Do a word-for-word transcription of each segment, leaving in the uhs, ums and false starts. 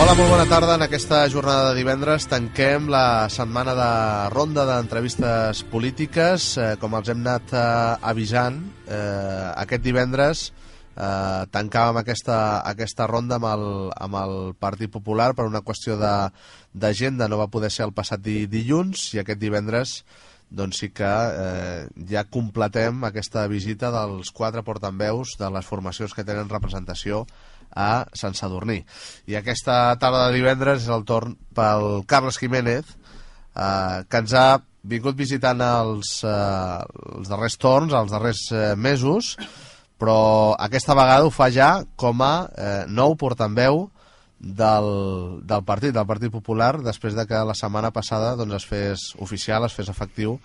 Hola, molt bona tarda. En aquesta jornada de divendres tanquem la setmana de ronda d'entrevistes polítiques. Eh, com els hem anat eh, avisant, eh, aquest divendres eh, tancàvem aquesta, aquesta ronda amb el, amb el Partit Popular per una qüestió d'agenda. No va poder ser el passat di, dilluns i aquest divendres doncs sí que eh, ja completem aquesta visita dels quatre portaveus de les formacions que tenen representació a Sant Sadurní. I aquesta tarda de divendres és el torn pel Carles Jiménez, eh, que ens ha vingut visitant els, eh, els darrers torns, els darrers eh, mesos, però aquesta vegada ho fa ja com a eh, nou portaveu del, del partit, del Partit Popular, després de que la setmana passada doncs, es fes oficial, es fes efectiu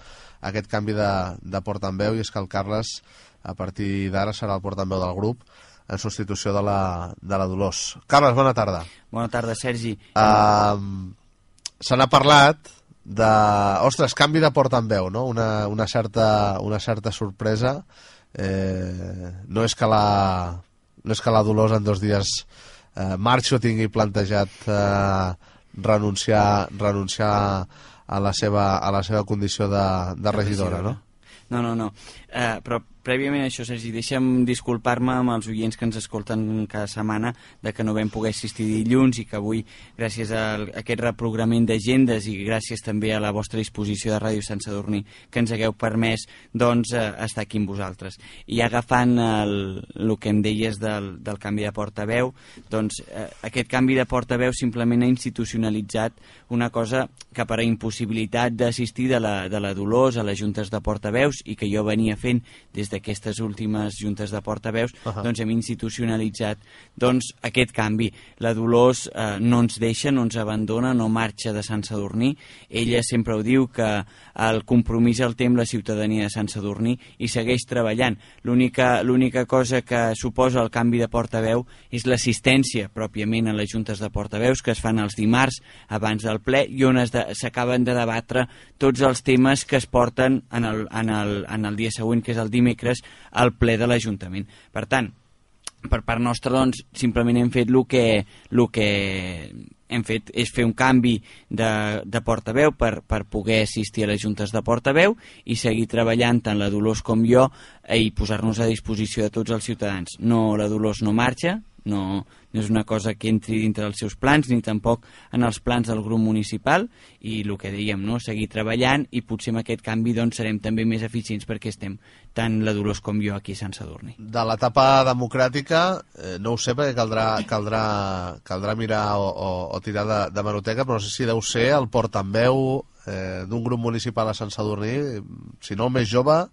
aquest canvi de, de portaveu, i és que el Carles, a partir d'ara, serà el portaveu del grup en substitució de la, de la Dolors. Carles, bona tarda. Bona tarda, Sergi. Uh, se n'ha parlat de... Ostres, canvi de portaveu, no? Una, una, certa, una certa sorpresa. Eh, no és que la, no és que la Dolors en dos dies eh, marxi o tingui plantejat eh, renunciar, renunciar a la seva, a la seva condició de, de regidora, no? No, no, no. Uh, però prèviament a això, Sergi, deixa'm disculpar-me amb els oients que ens escolten cada setmana de que no vam poder assistir dilluns i que avui, gràcies a aquest reprograment d'agendes i gràcies també a la vostra disposició de Ràdio Sant Sadurní, que ens hagueu permès doncs, eh, estar aquí amb vosaltres. I agafant el, el que em deies del, del canvi de portaveu, doncs eh, aquest canvi de portaveu simplement ha institucionalitzat una cosa que per a impossibilitat d'assistir de, la, de la Dolors a les juntes de portaveus i que jo venia fent des d'aquestes últimes juntes de portaveus, uh -huh. doncs hem institucionalitzat doncs, aquest canvi. La Dolors eh, no ens deixa, no ens abandona, no marxa de Sant Sadurní. Ella sempre ho diu, que el compromís el té amb la ciutadania de Sant Sadurní i segueix treballant. L'única l'única cosa que suposa el canvi de portaveu és l'assistència pròpiament a les juntes de portaveus que es fan els dimarts abans del ple i on s'acaben de, de debatre tots els temes que es porten en el, en el, en el dia següent, que és el dimecres, al ple de l'Ajuntament. Per tant, per part nostra, doncs, simplement hem fet el que, el que hem fet és fer un canvi de, de portaveu per, per poder assistir a les juntes de portaveu i seguir treballant tant la Dolors com jo i posar-nos a disposició de tots els ciutadans. No, la Dolors no marxa, no, no és una cosa que entri dintre dels seus plans ni tampoc en els plans del grup municipal, i el que dèiem, no? Seguir treballant, i potser amb aquest canvi doncs, serem també més eficients perquè estem tant la Dolors com jo aquí a Sant Sadurní. De l'etapa democràtica eh, no ho sé, perquè caldrà, caldrà, caldrà mirar o, o, o tirar de, de meroteca, però no sé si deu ser el portaveu eh, d'un grup municipal a Sant Sadurní, si no el més jove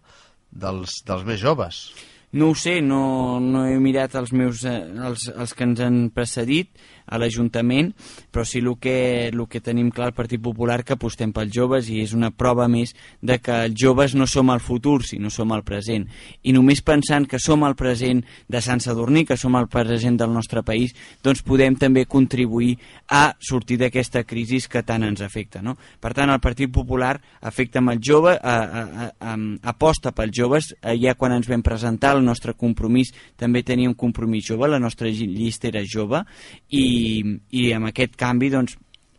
dels, dels més joves. No ho sé, no, no he mirat els meus eh, els, els que ens han precedit a l'Ajuntament, però sí el que, el que tenim clar al Partit Popular, que apostem pels joves, i és una prova més de que els joves no som el futur, sinó som el present. I només pensant que som el present de Sant Sadurní, que som el present del nostre país, doncs podem també contribuir a sortir d'aquesta crisi que tant ens afecta, no? Per tant, el Partit Popular afecta amb el jove, a, a, a, aposta pels joves. Ja quan ens vam presentar el nostre compromís també tenia un compromís jove, la nostra llista era jove, i I, i amb aquest canvi doncs,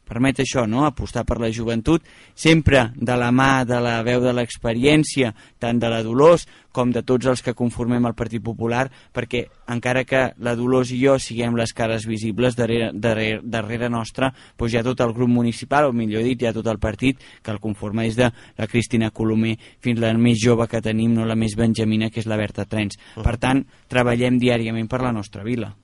permet això, no? Apostar per la joventut, sempre de la mà de la veu de l'experiència, tant de la Dolors com de tots els que conformem el Partit Popular, perquè encara que la Dolors i jo siguem les cares visibles, darrere, darrere, darrere nostra doncs hi ha tot el grup municipal, o millor dit, hi ha tot el partit que el conforma des de la Cristina Colomer fins la més jove que tenim, no la més benjamina, que és la Berta Trens. Per tant, treballem diàriament per la nostra vila.